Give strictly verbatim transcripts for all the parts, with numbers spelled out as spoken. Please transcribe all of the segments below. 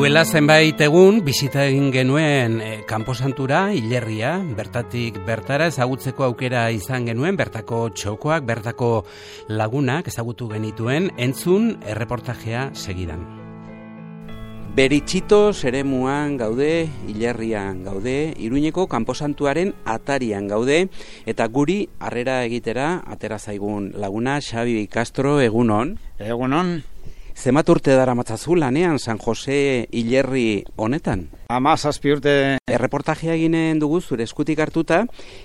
Duela zenbait egun bisita egin genuen e, Kanposantura, Hilerria, bertatik bertara ezagutzeko aukera izan genuen, bertako txokoak, bertako lagunak ezagutu genituen, entzun erreportajea segidan. Beritxitos eremuan gaude, Hilerrian gaude, Iruñeko Kanposantuaren atarian gaude, eta guri harrera egitera atera zaigun laguna Xabi Castro, egunon. Egunon. Zemat urte dara matzazu lanean San Jose Hilerri honetan? Ama zazpi urte. Erreportajea eginen dugu zure eskutik hartuta,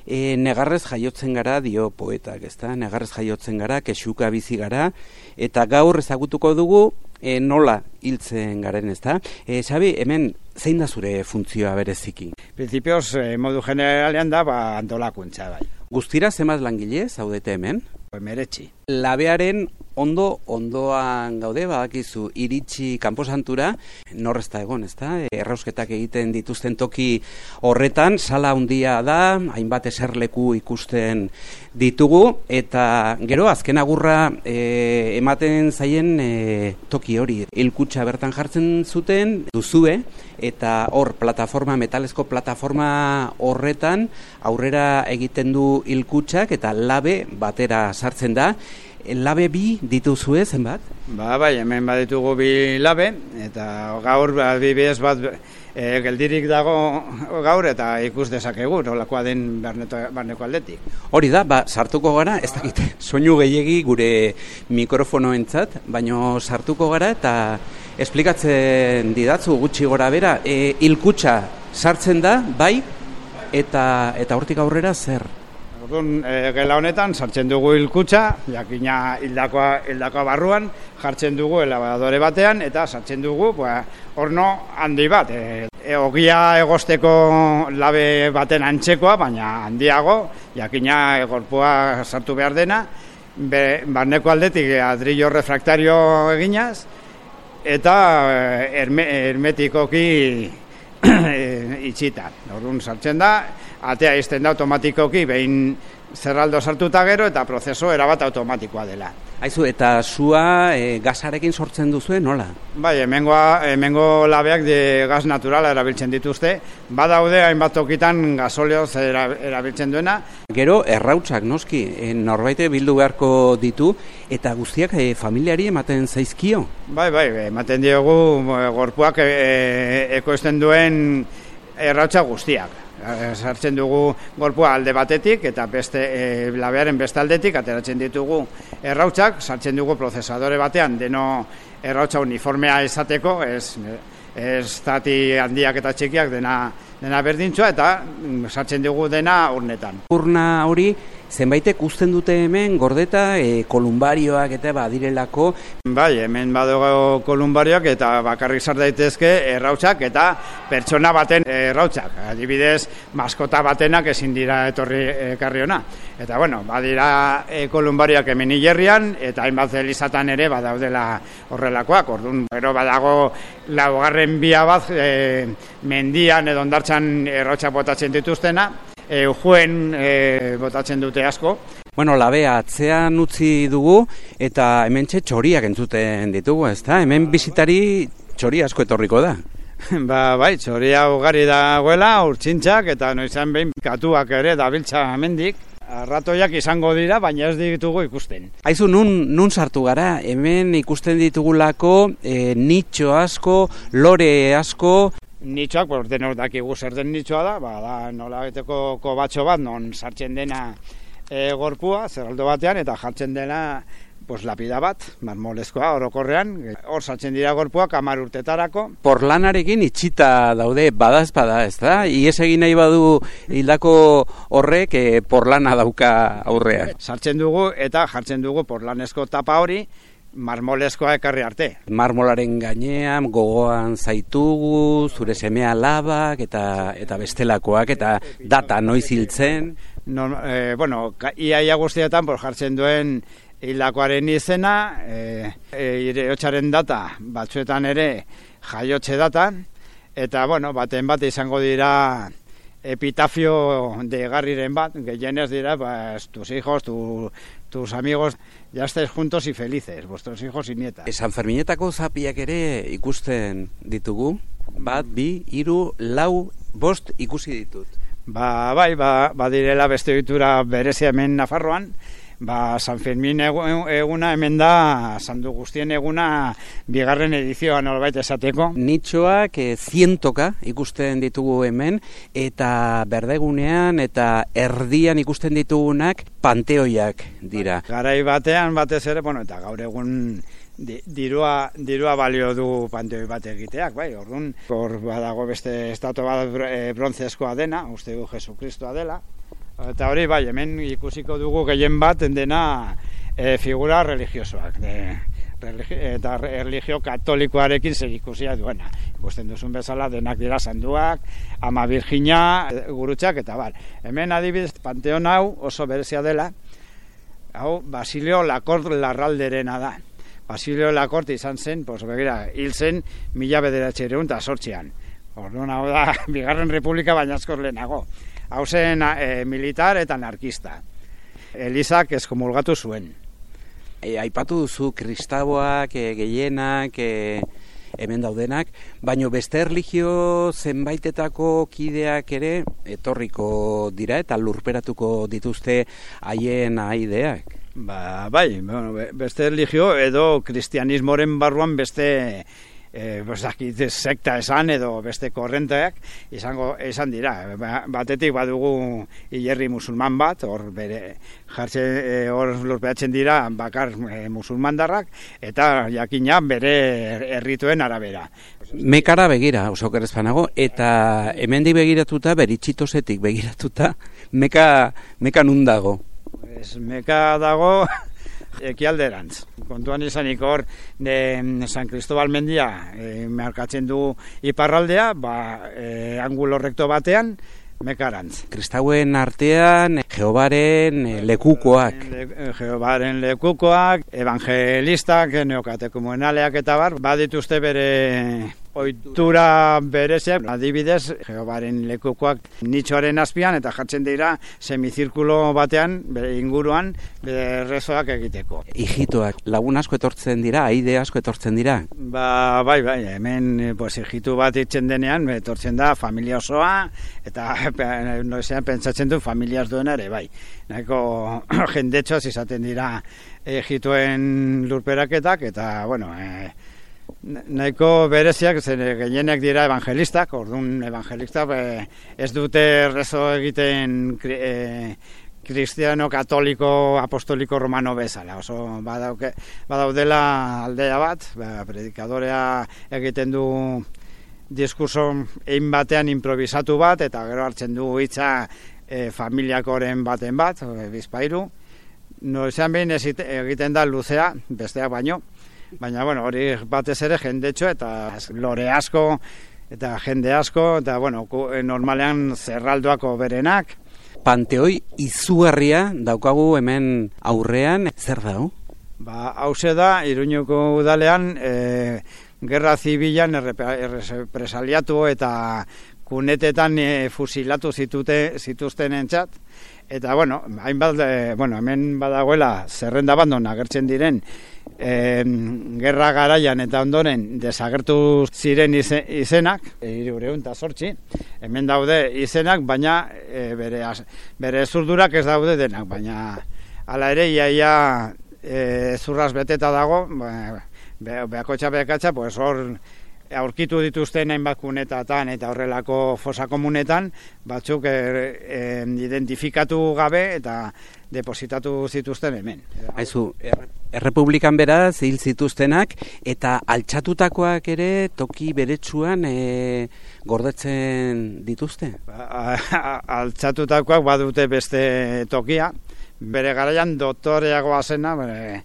e, negarrez jaiotzen gara dio poetak, ezta? Negarrez jaiotzen gara, kexuka bizi gara, eta gaur ezagutuko dugu e, nola hiltzen garen, ezta? E, Xabi, hemen zein da zure funtzioa bereziki? Principios, eh, modu generalean da, ba, antolakuntza bai. Guztira zenbat langile zaudete hemen? Meretxi. Labearen ondo, ondoan gaude, badakizu, iritsi Kanposantura, norrezta egon, ezta? Errausketak egiten dituzten toki horretan, sala handia da, hainbat eserleku ikusten ditugu, eta gero, azken agurra e, ematen zaien e, toki hori. Hilkutxa bertan jartzen zuten, duzue, eta hor, plataforma, metalezko plataforma horretan, aurrera egiten du hilkutxak, eta labe batera sartzen da. Labe bi dituzue zenbat? Ba, bai, hemen baditugu bi labe, eta gaur adibidez bat e, geldirik dago gaur, eta ikus dezakegu, nolakoa den barneto, barneko aldetik. Hori da, ba, sartuko gara, ez dakit, soinu gehiegi gure mikrofonoentzat, baino sartuko gara, eta esplikatzen didatzu gutxi gora bera, e, hilkutxa sartzen da, bai, eta, eta hortik aurrera zer? Orduan, e, gela honetan sartzen dugu hilkutxa, jakina hildakoa, hildakoa barruan, jartzen dugu elabadore batean, eta sartzen dugu ba, horno handi bat. E, e, ogia egosteko labe baten antzekoa, baina handiago, jakina gorpua sartu behar dena, be, barneko aldetik adrillo refraktario eginaz, eta herme, hermetikoki itxita. Orduan sartzen da, atea izten da automatikoki, behin zerraldo sartuta gero, eta prozeso erabat automatikoa dela. Aizu, eta sua e, gasarekin sortzen duzue, nola? Bai, hemengoa, hemengo labeak de gas naturala erabiltzen dituzte, badaude hainbat tokitan gasolioz erabiltzen duena. Gero, errautsak noski, e, norbaite bildu beharko ditu, eta guztiak e, familiari ematen zaizkio? Bai, bai, ematen diogu gorpuak e, ekoizten duen errautsak guztiak. Sartzen dugu gorpua alde batetik eta beste e, labearen beste aldetik ateratzen ditugu errautsak, sartzen dugu prozesadore batean deno errautsa uniformea izateko, ez, ez zati handiak eta txikiak dena, dena berdintxoa, eta sartzen dugu dena urnetan. Urna hori zenbaitek uzten dute hemen gordeta e, kolumbarioak eta badirelako. Bai, hemen badogo kolumbarioak eta bakarrik sar daitezke errautsak eta pertsona baten errautsak. Adibidez, maskota batenak ezin dira etorri ekarri ona. Eta bueno, badira e, kolumbarioak hemen Hilerrian eta hainbat elizatan ere badaudela horrelakoak. Orduan, gero badago laugarren bia bat e, mendian edo hondartzan errautsak botatzen dituztena. Eujuen e, botatzen dute asko. Bueno, labea atzean utzi dugu eta hementxe txoriak entzuten ditugu, ezta? Hemen bisitari txori asko etorriko da. Ba, bai, txoria ugari dagoela, urtsintxak eta noizan behin katuak ere dabiltza hemendik. Arratoiak izango dira, baina ez ditugu ikusten. Aizu, nun, nun sartu gara, hemen ikusten ditugulako e, nitxo asko, lore asko. Nitxoak, por denok dakigu zer den nitxoa da, ba, da nola beteko kobatxo bat, non sartzen dena e, gorpua, zerraldo batean, eta jartzen dena pues, lapida bat, marmolezkoa, orokorrean, hor sartzen dira gorpuak hamar urtetarako. Porlanarekin itxita daude badaz bada, ez da? Ies egin nahi badu hildako horrek e, porlana dauka aurrean. Sartzen dugu eta jartzen dugu porlanezko tapa hori, marmolezkoa ekarri arte. Marmolaren gainean gogoan zaitugu, zure semea labak eta eta bestelakoak eta data noiz hiltzen. No, eh, bueno, iaia guztietan por jartzen duen hildakoaren izena, eh, iriotxaren data, batzuetan ere jaiotxe data, eta bueno, baten bat izango dira epitafio de garriren bat, gehienez dira, pues, tus hijos, tu, tus amigos ya estés juntos y felices, vuestros hijos y nietas. San Ferminetako zapiak ere ikusten ditugu, bat, bi, hiru, lau, bost ikusi ditut. Ba, bai, ba, badirela beste ohitura berezia hemen Nafarroan, ba, San Fermin eguna hemen da, sandu guztien eguna bigarren edizioa nolbait esateko. Nitxoak e, zientoka ikusten ditugu hemen, eta berdegunean eta erdian ikusten ditugunak panteoiak dira. Garai batean batez ere, bueno, eta gaur egun Di, dirua, dirua balio du panteoi bat egiteak, bai, orduan, hor badago beste estatua bat e, brontzezkoa dena, uste du Jesukristoa dela, eta hori, bai, hemen ikusiko dugu gehien bat dena e, figura religiosoak, de, religi, eta religio katolikoarekin zer ikusia duena. Ikusten duzun bezala denak dira sanduak, Ama Virgina, gurutxak, eta bar. Hemen adibidez, panteon hau oso berezia dela, hau Basilio Lakort Larralderena da. Basilio Lakorte izan zen, pues, begira, hil zen mila bederatziehun eta zortzian. Orduan hau da, bigarren republika baina askoz lehenago. Hau zen e, militar eta anarkista. Elizak eskomulgatu zuen. E, aipatu duzu kristaboak, e, gehienak, e, hemen daudenak, baino beste erlijio zenbaitetako kideak ere etorriko dira eta lurperatuko dituzte haien aideak. Ba, bai, bueno, beste religio edo kristianismoren barruan beste e, bostakit, sekta esan edo beste korrenteak izango esan dira. Batetik badugu hilerri musulman bat, hor bere jartzen e, hor lurperatzen dira bakar e, musulmandarrak eta jakina bere errituen arabera. Mekara begira, oso kerrezpanago, eta hemendik begiratuta, beritxitosetik begiratuta, meka, meka nun dago? Ez, meka dago ekialderantz. Kontuan izanik hor de San Cristobal mendia e, markatzen du iparraldea, ba, e, angulo rekto batean, mekarantz. Kristauen artean Jehobaren lekukoak. Le, Jehobaren lekukoak, evangelistak, neokatekumenaleak eta bar, badituzte bere ohitura bereziak, adibidez, Jehobaren lekukoak nitxoaren azpian eta jartzen dira semizirkulo batean, bere inguruan, bere rezoak egiteko. Hijitoak, lagun asko etortzen dira, aide asko etortzen dira? Ba, bai, bai, hemen pues, hijitu bat itzen denean, etortzen da familia osoa, eta noizean pentsatzen du familiaz duena ere, bai. Nahiko jendetxoaz izaten dira hijituen lurperaketak, eta, bueno, e, nahiko bereziak, zen gehienek dira evangelistak, orduan evangelistak e, ez dute rezo egiten e, kristiano, katoliko, apostoliko, romano bezala. Oso badauke, badaudela aldea bat, ba, predikadorea egiten du diskurso egin batean improvisatu bat, eta gero hartzen du hitza e, familiakoren baten bat, e, bizpairu. Noizean behin egiten da luzea, besteak baino, baina bueno, hori batez ere jendetxo eta lore asko eta jende asko, eta bueno, normalean zerraldoako berenak. Panteoi izugarria daukagu hemen aurrean, zer da? Ba, hause da, Iruñuko udalean, e, gerra zibilan errepresaliatu eta kunetetan e, fusilatu zitute, zituzten entzat. Eta, bueno, hainbat, e, bueno, hemen badagoela zerrenda bandon agertzen diren e, gerra garaian eta ondoren desagertu ziren ize, izenak, hirurehun eta zortzi, hemen daude izenak, baina e, bere, bere zurdurak ez daude denak, baina hala ere, iaia e, zurraz beteta dago, be, beakotxa beakatxa, pues hor aurkitu dituzten hainbat kunetatan eta horrelako fosa komunetan, batzuk er, er, identifikatu gabe eta depositatu zituzten hemen. Haizu, errepublikan beraz hil zituztenak eta altxatutakoak ere toki beretsuan e, gordetzen dituzte? Altxatutakoak badute beste tokia, bere garaian doktoreagoa zena, bere,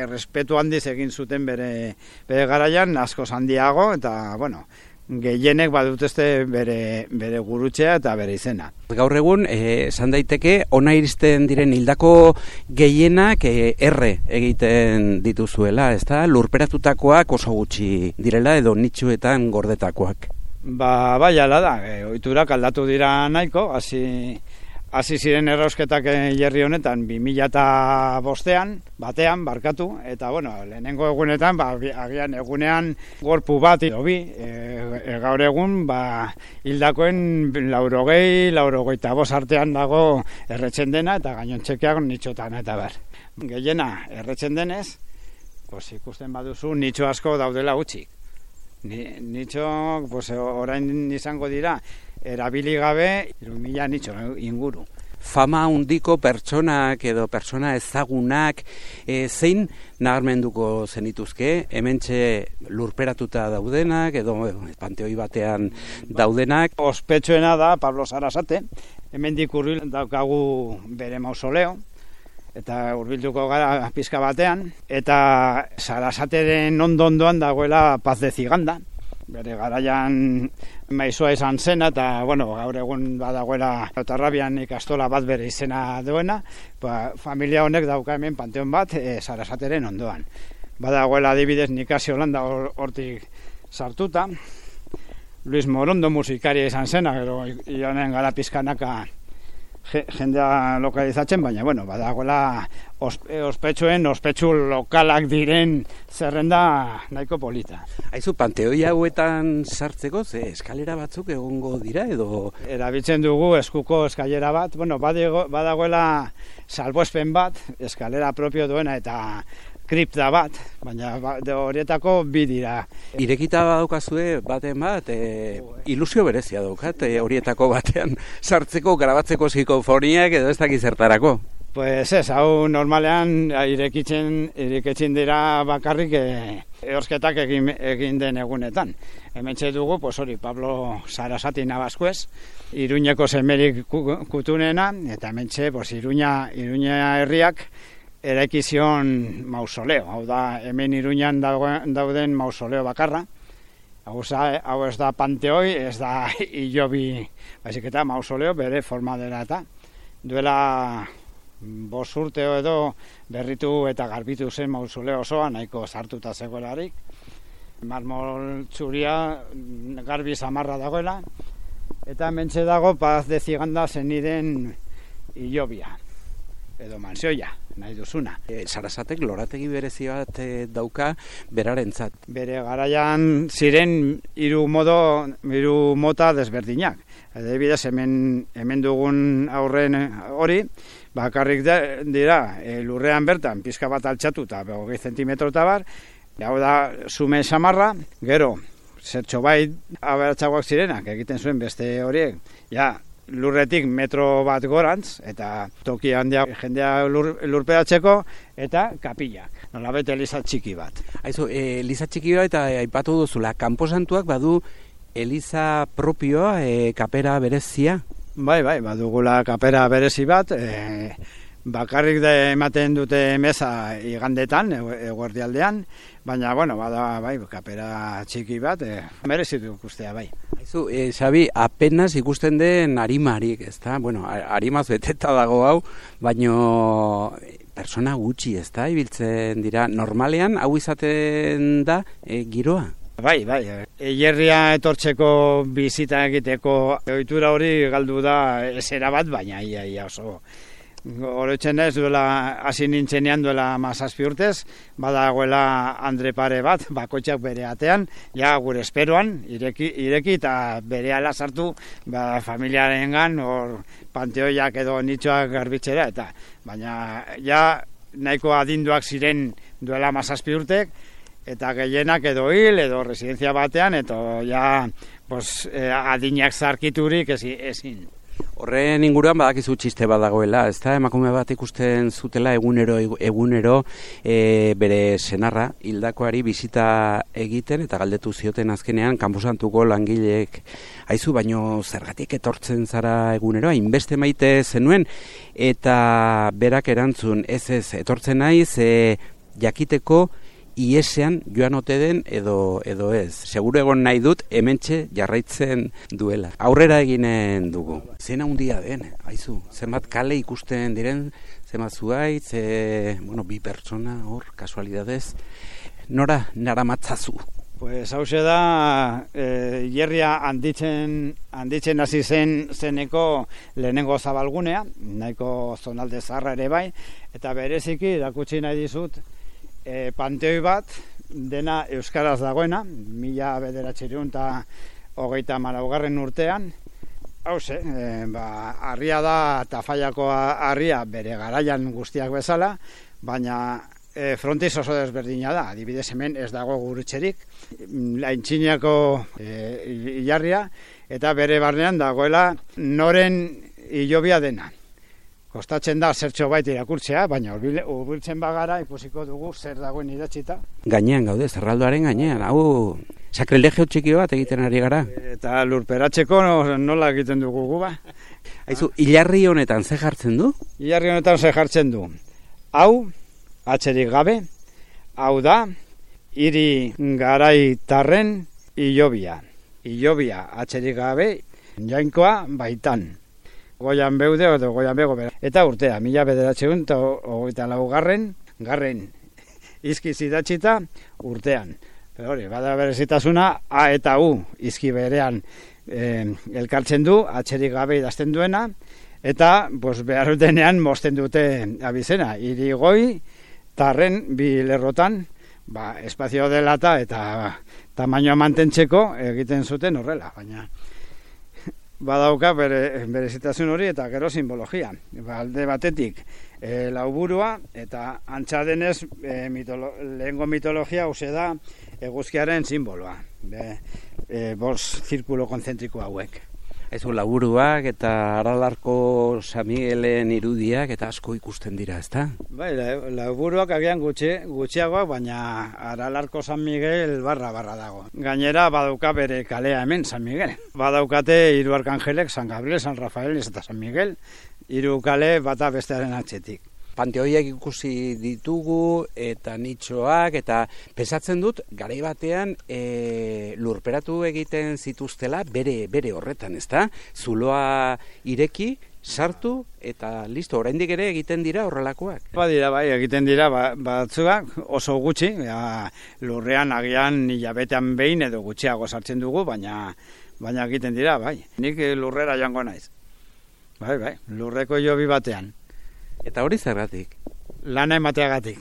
errespetu handiz egin zuten bere, bere garaian, askoz handiago, eta, bueno, gehienek badutezte bere, bere gurutxea eta bere izena. Gaur egun, esan daiteke, ona iristen diren hildako gehienak e, erre egiten dituzuela, ez da? Lurperatutakoak oso gutxi direla edo nitxuetan gordetakoak. Ba, bai, ala da, e, ohiturak aldatu dira nahiko, hasi hasi ziren errausketak jerri honetan bi mila eta bostean, batean, barkatu, eta bueno, lehenengo egunetan, ba, agian egunean gorpu bat, edo bi, e, e, gaur egun, ba, hildakoen laurogei, laurogeita bost artean dago erretzen dena, eta gainontzekeak nitxotan eta ber. Gehiena erretzen denez, pues, ikusten baduzu nitxo asko daudela utzik. Ni, nitxo, pues, orain izango dira, erabili gabe, hiru mila nitxo inguru. Fama handiko pertsonak edo pertsona ezagunak, e, zein nabarmenduko zenituzke, hementxe lurperatuta daudenak, edo panteoi batean daudenak? Ospetsuena da Pablo Sarasate, hemendik hurbil daukagu bere mausoleo, eta hurbilduko gara pizka batean, eta Sarasateren ondo-ondoan dagoela Paz de Ziganda, bere garaian maizoa izan zena, eta bueno, gaur egun badagoela Otarrabian ikastola bat bere izena duena, ba, familia honek dauka hemen panteon bat e, Sarasateren ondoan. Badagoela adibidez Nikasio Landa hortik sartuta, Luis Morondo musikaria izan zena, gero ionen gara pizkanaka jendea lokalizatzen, baina bueno, badagoela ospe, ospetsuen, ospetsu lokalak diren zerrenda nahiko polita. Aizu, panteoi hauetan sartzeko, ze eskalera batzuk egongo dira edo? Erabiltzen dugu eskuko eskalera bat, bueno, badago, badagoela salbuespen bat, eskalera propio duena eta kripta bat, baina horietako bi dira. Irekita badaukazue baten bat, e, ilusio berezia daukat, e, horietako batean sartzeko, grabatzeko psikofoniak edo ez dakiz zertarako. Pues ez, hau normalean irekitzen, irekitzen dira bakarrik e, ehorsketak egin, egin den egunetan. Hementxe dugu, pues hori, Pablo Sarasati Nabaskuez, Iruñeko semerik kutunena, eta hementxe, pues Iruña, Iruña herriak, eraikizion mausoleo, hau da, hemen Iruñan dauden mausoleo bakarra, hau, hau ez da panteoi, ez da hilobi, baizik eta mausoleo bere forma dela eta duela bost urteo edo berritu eta garbitu zen mausoleo osoa, nahiko sartuta zegoelarik, marmol txuria garbi samarra dagoela, eta mentxe dago Paz de Ziganda zeniren hilobia, edo mansioia, nahi duzuna. E, Sarasatek lorategi berezi bat e, dauka berarentzat. Bere garaian ziren hiru modo, hiru mota desberdinak. Adibidez, hemen, hemen dugun aurren hori, bakarrik dira e, lurrean bertan, pizka bat altxatu eta hogei zentimetro eta bar, hau da zume samarra, gero, zertxo bai aberatxagoak zirenak, egiten zuen beste horiek, ja, lurretik metro bat gorantz, eta toki handia jendea lur, lurperatzeko, eta kapillak, nolabete eliza txiki bat. Aizu, e, eliza txiki bat, eta aipatu duzula, kanposantuak badu eliza propioa, e, kapera berezia? Bai, bai, badugula kapera berezi bat, e, bakarrik da ematen dute meza igandetan, eguerdialdean, baina, bueno, bada, bai, kapera txiki bat, e, merezitu ikustea, bai. Aizu, e, Xabi, apenas ikusten den arimarik, ezta? Bueno, arimaz beteta dago hau, baino persona gutxi, ezta? Ibiltzen dira, normalean, hau izaten da, e, giroa? Bai, bai, eierria etortzeko bizita egiteko ohitura hori galdu da esera bat, baina ia, ia oso. Oroitzen ez duela, hasi nintzenean duela mazazpi urtez, badagoela Andre pare bat, bakoitzak bere atean, ja gure esperoan, ireki, ireki eta bere ala sartu, ba, familiarengan, hor panteoiak edo nitxoak garbitzera, eta baina ja nahiko adinduak ziren duela mazazpi urtek, eta gehienak edo hil, edo residentzia batean, eta ja pues, eh, adinak zarkiturik ezin. Horren inguruan badakizu txiste bat dagoela, ezta? Emakume bat ikusten zutela egunero egunero e, bere senarra hildakoari bisita egiten eta galdetu zioten azkenean kanposantuko langileek, aizu, baino zergatik etortzen zara egunero, hainbeste maite zenuen, eta berak erantzun, ez ez, etortzen naiz, e, jakiteko iesean joan ote den edo edo ez. Seguro egon nahi dut hementxe jarraitzen duela. Aurrera eginen dugu. Zena handia den, aizu, zenbat kale ikusten diren, zenbat zuaitz, e, bueno, bi pertsona hor, kasualidadez. Nora naramatzazu? Pues hause da, e, hierria handitzen, handitzen hasi zen zeneko lehenengo zabalgunea, nahiko zonalde zaharra ere bai, eta bereziki erakutsi nahi dizut e, panteoi bat, dena euskaraz dagoena, mila bederatziehun eta hogeita hamalaugarren urtean, hause, e, ba, harria da Tafallako harria bere garaian guztiak bezala, baina E, frontiz oso desberdina da, adibidez hemen ez dago gurutxerik, Aintziniako e, ilarria, eta bere barnean dagoela noren hilobia dena. Kostatzen da zertxo bait irakurtzea, baina hurbiltzen bagara ikusiko dugu zer dagoen idatzita. Gainean gaude, zerraldoaren gainean, hau sakrilegio txiki bat egiten ari gara. Eta lurperatzeko nola egiten dugu gu ba. Aizu, hilarri honetan ze jartzen du? Hilarri honetan ze jartzen du. Hau, atzerik gabe, hau da, hiri garaitarren hilobia. Hilobia atzerik gabe, jainkoa baitan. Goian beude, edo goian bego bera. Eta urtea, mila bederatziehun eta hogeita laugarren, garren izki zidatxita urtean. Pero hori, bada berezitasuna, A eta U izki berean eh, elkartzen du, atzerik gabe idazten duena, eta pues, behar denean mosten dute abizena. Hiri goi, tarren bi lerrotan, ba, espazio delata eta tamainoa mantentzeko egiten zuten horrela, baina badauka bere, berezitasun hori eta gero simbologia. Ba, alde batetik e, lauburua eta antza denez e, mitolo, lehengo mitologia hause da eguzkiaren simboloa. Be, e, bost zirkulo konzentriko hauek. Ezu laburuak eta Aralarko San Miguelen irudiak eta asko ikusten dira, ezta? Bai, laburuak agian gutxi, gutxiagoak, baina Aralarko San Miguel barra barra dago. Gainera badauka bere kalea hemen San Miguel. Badaukate hiru arkanjelek, San Gabriel, San Rafael eta San Miguel, hiru kale bata bestearen atzetik. Panteoiak ikusi ditugu eta nitxoak eta pensatzen dut garai batean e, lurperatu egiten zituztela bere bere horretan, ezta? Zuloa ireki, sartu eta listo, oraindik ere egiten dira horrelakoak. Badira bai, egiten dira ba, batzuak oso gutxi, ja, lurrean agian hilabetean behin edo gutxiago sartzen dugu, baina baina egiten dira bai. Nik lurrera joango naiz. Bai, bai, lurreko jobi batean. Eta hori zergatik? Lana emateagatik.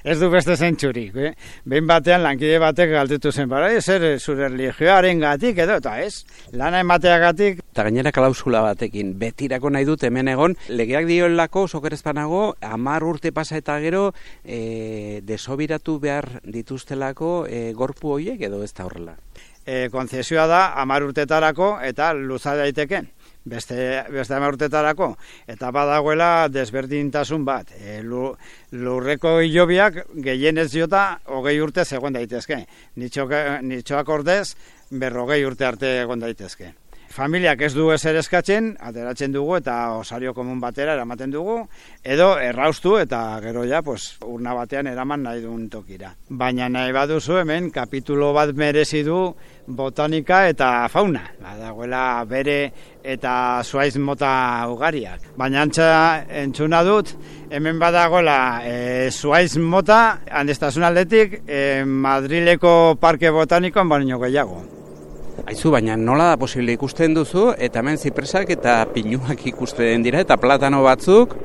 Ez du beste zentzurik. Eh? Behin batean lankide batek galdetu zen, bara, zer zure religioaren gatik edo, eta ez, lana emateagatik. Eta gainera klausula batekin, betirako nahi dut hemen egon, legeak dioelako, sokerezpanago, hamar urte pasa eta gero, e, desobiratu behar dituztelako e, gorpu horiek edo ez da horrela? E, konzesioa da hamar urtetarako eta luza daiteke. Beste, beste hamar urtetarako, eta badagoela desberdintasun bat. E, lurreko hilobiak gehienez jota hogei urte zegoen daitezke. Nitxoak ordez berrogei urte arte egon daitezke. Familiak ez du ezer eskatzen, ateratzen dugu eta osario komun batera eramaten dugu, edo erraustu eta gero ja pues, urna batean eraman nahi duen tokira. Baina nahi baduzu hemen kapitulo bat merezi du botanika eta fauna. Badagoela bere eta zuaiz mota ugariak. Baina antza entzuna dut, hemen badagoela e, zuaiz mota, handestasun aldetik, e, Madrileko parke botanikoan baino gehiago. Aizu, baina nola da posible ikusten duzu, eta hemen zipresak eta pinuak ikusten dira, eta platano batzuk?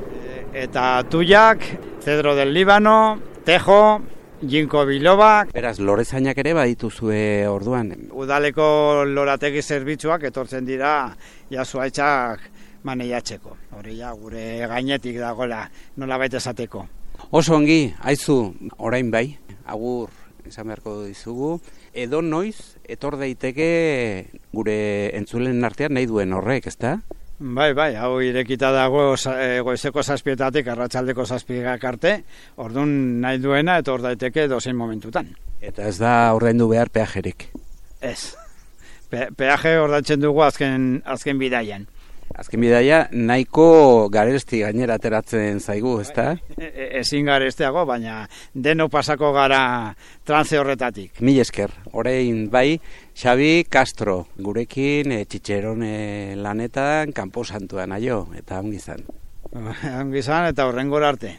Eta tuiak, cedro del Líbano, tejo, ginkgo bilobak. Beraz, lorezainak ere badituzue orduan? Udaleko lorategi zerbitzuak etortzen dira jasuaitzak maneiatzeko. Hori ja, gure gainetik dagoela nola baita esateko. Oso ongi, aizu, orain bai, agur esan beharko dizugu, edo noiz etor daiteke gure entzulen artean nahi duen horrek, ezta? Bai, bai, hau irekita dago goizeko zazpietatik arratsaldeko zazpigak arte, orduan nahi duena etor daiteke dozein momentutan. Eta ez da ordaindu behar peajerik? Ez, Pe peaje ordaintzen dugu azken, azken bidaian. Azken bidaia nahiko garesti gainera ateratzen zaigu, ezta? E, e, ezin garesteago, baina deno pasako gara trance horretatik. Mil esker, orain bai, Xabi Castro, gurekin e, txitxerone lanetan, Kanpo Santuan aio, eta ongi izan. Ongi izan eta horrengora arte.